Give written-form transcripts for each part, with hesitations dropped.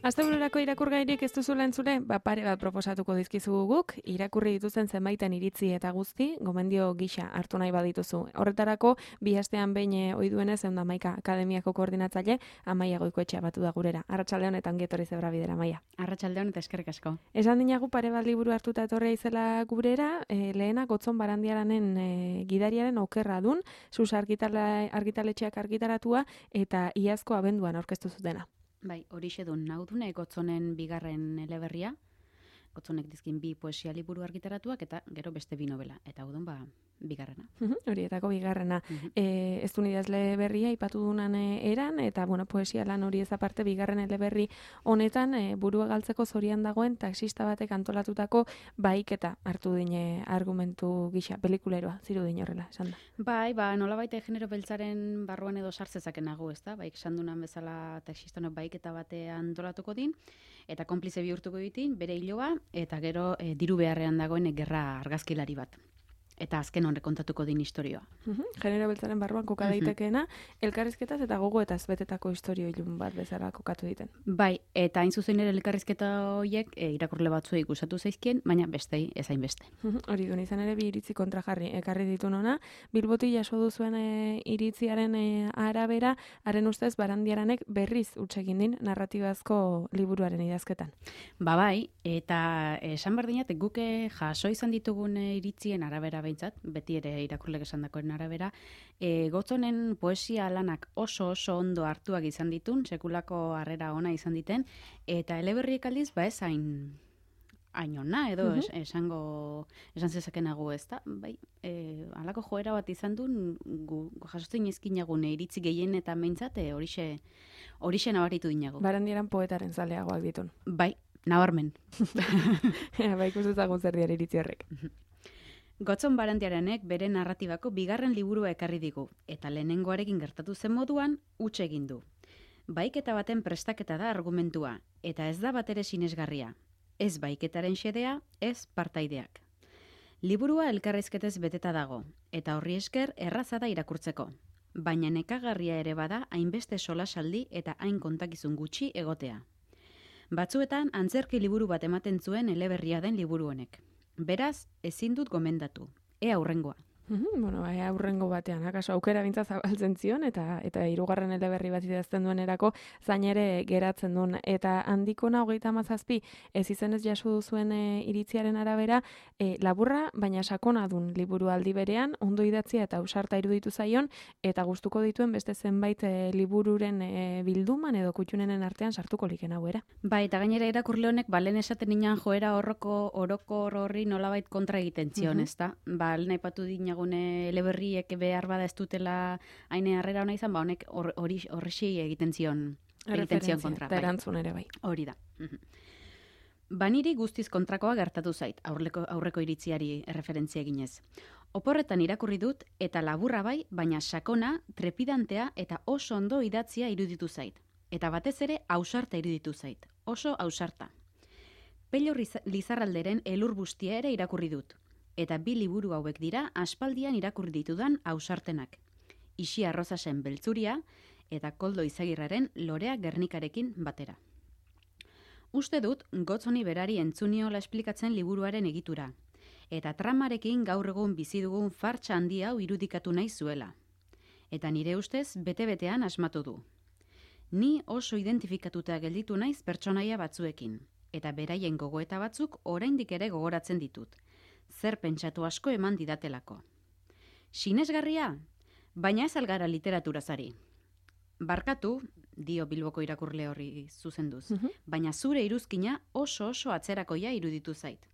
Astebururako irakurgairik ez duzula entzule, pare bat proposatuko dizkizugu guk, irakurri dituzten zenbaiten iritzi eta guzti, gomendio gisa hartu nahi badituzu. Horretarako, bi astean behin ohi duenez, 111 akademiako koordinatzaile, Amaia Goikoetxea batu da gurera. Arratsaldeon eta ongi etorri Zebra Bidera, Amaia. Arratsaldeon eta eskerrik asko. Esan dinagu pare bat liburu hartuta etorria izela gurera, lehena Gotzon Barandiaranen gidariaren okerra dun, Sus argitaletxeak argitaratua eta iazko abenduan aurkeztu zutena. Bai, horixe dun, naudune Gotzonen bigarren eleberria, Gotzonek dizkin bi poesia liburu argitaratuak eta gero beste bi novela, eta udun bigarrena. Horietako bigarrena. Ez du idazle berria ipatu dunan eran, eta poesia lan hori ez aparte bigarren eleberri honetan burua galtzeko zorian dagoen taxista batek antolatutako baiketa hartu dine argumentu gisa, pelikuleroa, ziru dine horrela, esan da. Bai, nolabait genero beltzaren barruan edo sartzezaken nago, ez da? Baik, sandunan bezala taxistonek baiketa batean antolatuko din, eta konplize bihurtuko ditin, bere hiloa, eta gero diru beharrean dagoen gerra argazkilari bat. Eta azken horre kontatuko din historioa. Genero beltzaren barruan koka daitekeena, elkarrizketaz eta gogoetaz betetako historio ilun bat bezala kokatu diten. Bai, eta hain zuzen ere elkarrizketa horiek irakurle batzuei gustatu zaizkien, baina bestei ezain beste. Hori duen izan ere bi iritzi kontrajarri ekarri ditu nona, Bilboti jaso duzuen iritziaren arabera, haren ustez Barandiaranek berriz utsegin din narratibazko liburuaren idazketan. Bai, eta esan berdinat, guke jaso izan ditugun iritzien arabera behintzat, beti ere irakurlek esandakoen arabera, Gotzonen poesia lanak oso ondo hartuak izan ditun, sekulako harrera ona izan diten, eta eleberriek aldiz, ez hain ona, edo esan zezakenago ez da, bai, halako joera bat izan duen, jasotzen izkinagun iritzi gehien eta behintzat, horixe nabaritu dinago. Barandiaran poetaren zaleagoak ditun. Bai, nabarmen. Bai, ikustezagun zer diar iritzi horrek. Gotzon Barandiaranek bere narratibako bigarren liburua ekarri digu, eta lehenengoarekin gertatu zen moduan, huts egin du. Baiketa baten prestaketa da argumentua, eta ez da batere sinesgarria. Ez baiketaren xedea, ez partaideak. Liburua elkarrizketez beteta dago, eta horri esker erraza da irakurtzeko. Baina nekagarria ere bada hainbeste solasaldi eta hain kontakizun gutxi egotea. Batzuetan antzerki liburu bat ematen zuen eleberria den liburu honek. Beraz, ezin dut gomendatu. Ea hurrengoa. Aurrengo batean, akaso aukera bintza zabaltzen zion, eta hirugarren eleberri bat idazten duenerako zain ere geratzen duen. Eta handikona 37, ez izenez jaso duzuen iritziaren arabera, laburra, baina sakona dun liburu aldi berean, ondo idatzia eta ausarta iruditu zaion, eta gustuko dituen beste zenbait libururen bilduman edo kutxunenen artean sartuko liken hau era. Bai, eta gainera irakurle honek, lehen esaten inan joera orokor horri nolabait kontra egiten zion, ez da? Lehen aipatu dinago eleberriek behar bada ez dutela haine harrera ona izan, honek horrexi egiten zion kontra. Eta erantzun ere bai. Hori da. Baniri guztiz kontrakoa gertatu zait, aurreko iritziari erreferentzia eginez. Oporretan irakurri dut eta laburra bai, baina sakona, trepidantea eta oso ondo idatzia iruditu zait. Eta batez ere ausarta iruditu zait. Oso ausarta. Pello Lizarralderen elur bustia ere irakurri dut. Eta bi liburu hauek dira aspaldian irakurri ditudan ausartenak. Isi Arrozasen Beltzuria eta Koldo Izagirraren Lorea Gernikarekin batera. Uste dut Gotzoni berari entzuniola esplikatzen liburuaren egitura, eta tramarekin gaur egun bizi dugun fartsa handi hau irudikatu nahi zuela. Eta nire ustez bete-betean asmatu du. Ni oso identifikatuta gelditu naiz pertsonaia batzuekin, eta beraien gogoeta batzuk oraindik ere gogoratzen ditut. Zer pentsatu asko eman didatelako. Sinesgarria, baina ez algara literaturazari. Barkatu, dio Bilboko irakurle horri zuzenduz, baina zure iruzkina oso atzerakoia iruditu zait.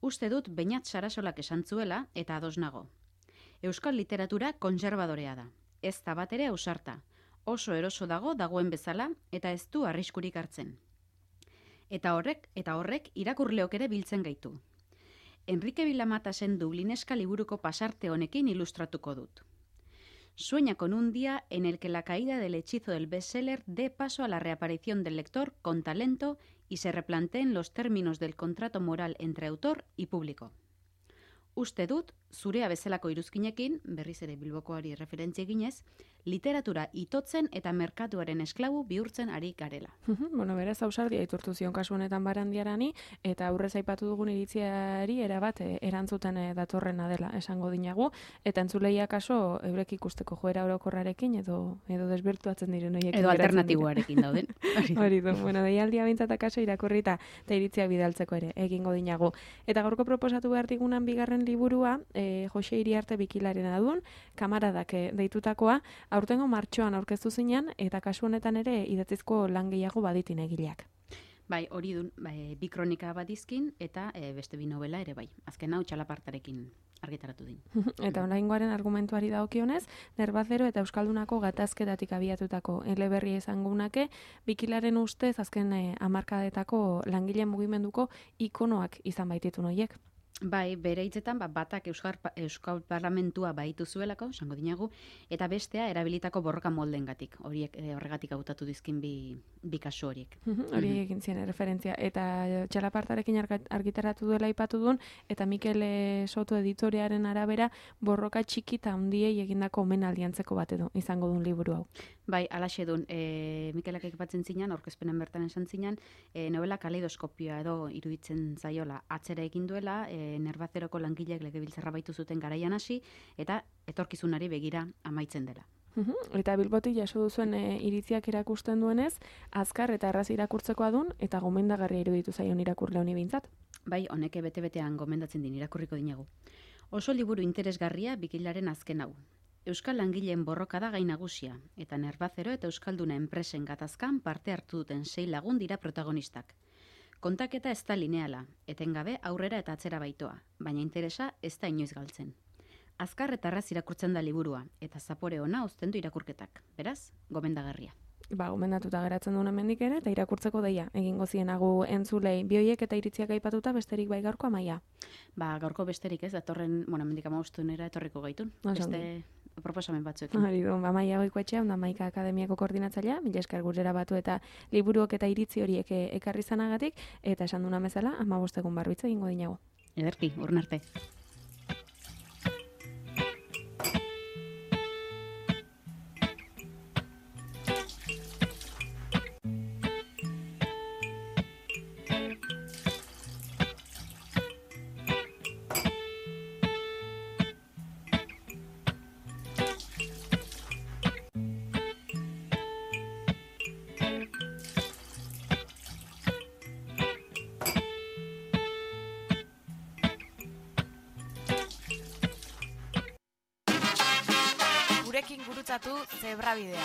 Uste dut Beñat Sarasolak esan zuela eta ados nago. Euskal literatura kontserbadorea da. Ez da bat ere ausarta. Oso eroso dagoen bezala eta ez du arriskurik hartzen. Eta horrek irakurleok ere biltzen gaitu. Enrique Vilamatasen Dublineska liburuko pasarte honekin ilustratuko dut. Sueña con un día en el que la caída del hechizo del bestseller dé paso a la reaparición del lector con talento y se replanteen los términos del contrato moral entre autor y público. Uste dut, zurea bezalako iruzkinekin, berriz ere Bilbokoari referentzia eginez, literatura itotzen eta merkatuaren esklabu bihurtzen ari garela. Bueno, beraz, ausardia iturtu zion kasu honetan Barandiarani, eta aurrez aipatu dugun iritziari erabat erantzuten datorrena dela esango dinagu, eta entzuleia kaso eurek ikusteko joera orokorrarekin edo desbirtuatzen diren horiekin. Edo alternatiboarekin dauden. Hori du, bueno, deialdia bintzat akaso irakurrita eta iritzia bidaltzeko ere egingo dinagu. Eta gaurko proposatu behar digunan bigarren liburua, Jose Iriarte Bikilarena dun, Kamaradak deitutakoa, aurtengo martxoan aurkeztu zinean, eta kasu honetan ere idatzizko lan gehiago baditin egileak. Bai, hori dun, bi kronika bat dizkin, eta beste bi novela ere bai. Azken hau txalapartarekin argitaratu din. Eta oraingoaren argumentuari dagokionez, Nerbazero eta Euskaldunako gatazketatik abiatutako eleberri esangunake, Bikilaren ustez azken hamarkadetako langileen mugimenduko ikonoak izan baititun horiek. Bai, bere hitzetan batak Euskal Parlamentua baitu zuelako, esango dinagu, eta bestea erabilitako borroka moldengatik. Horiek horregatik hautatu dizkin bi kasu horiek. Hori egin zien referentzia. Eta txalapartarekin argitaratu duela aipatu duen, eta Mikel Soto editorearen arabera borroka txiki eta handiei egindako omenaldiantzeko bat edo izango duen liburu hau. Bai, alaxe duen, Mikelak ekipatzen zinan, aurkezpenen bertan esan zinan, novela kaleidoskopioa edo iruditzen zaiola atzera egin duela, Nerbazeroko langileek legebiltzarra baitu zuten garaian hasi, eta etorkizunari begira amaitzen dela. Eta Bilbotik jaso duzuen iritziak erakusten duenez, azkar eta erraz irakurtzekoa dun, eta gomendagarria iruditu zaion irakurle honi behintzat. Bai, honek bete-betean gomendatzen din irakurriko dinagu. Oso liburu interesgarria Bikilaren azken hau. Euskal langileen borroka da gai nagusia, eta Nerbazero eta Euskalduna enpresen gatazkan parte hartu duten 6 lagun dira protagonistak. Kontaketa ez da lineala, etengabe aurrera eta atzera baitoa, baina interesa ez da inoiz galtzen. Azkar eta erraz irakurtzen da liburua, eta zapore ona uzten du irakurketak. Beraz, gomendagarria. Gomendatuta geratzen duen hemendik ere, eta irakurtzeko deia, egingo zienagu entzulei, bioiek eta iritziak aipatuta besterik bai gaurko Amaia. Gaurko besterik ez, datorren, mendik 15 etorriko gaitun. Beste proposamen batzuekin. Hori du, Amaia Goikoetxea, Maika Akademiako koordinatzailea, mila esker gurera batu eta liburuok eta iritzi horiek ekarri zanagatik, eta esan duna bezala, 15 egun barbitza egingo dinago. Ederki, urren arte. Gurekin gurutzatu Zebrabidea.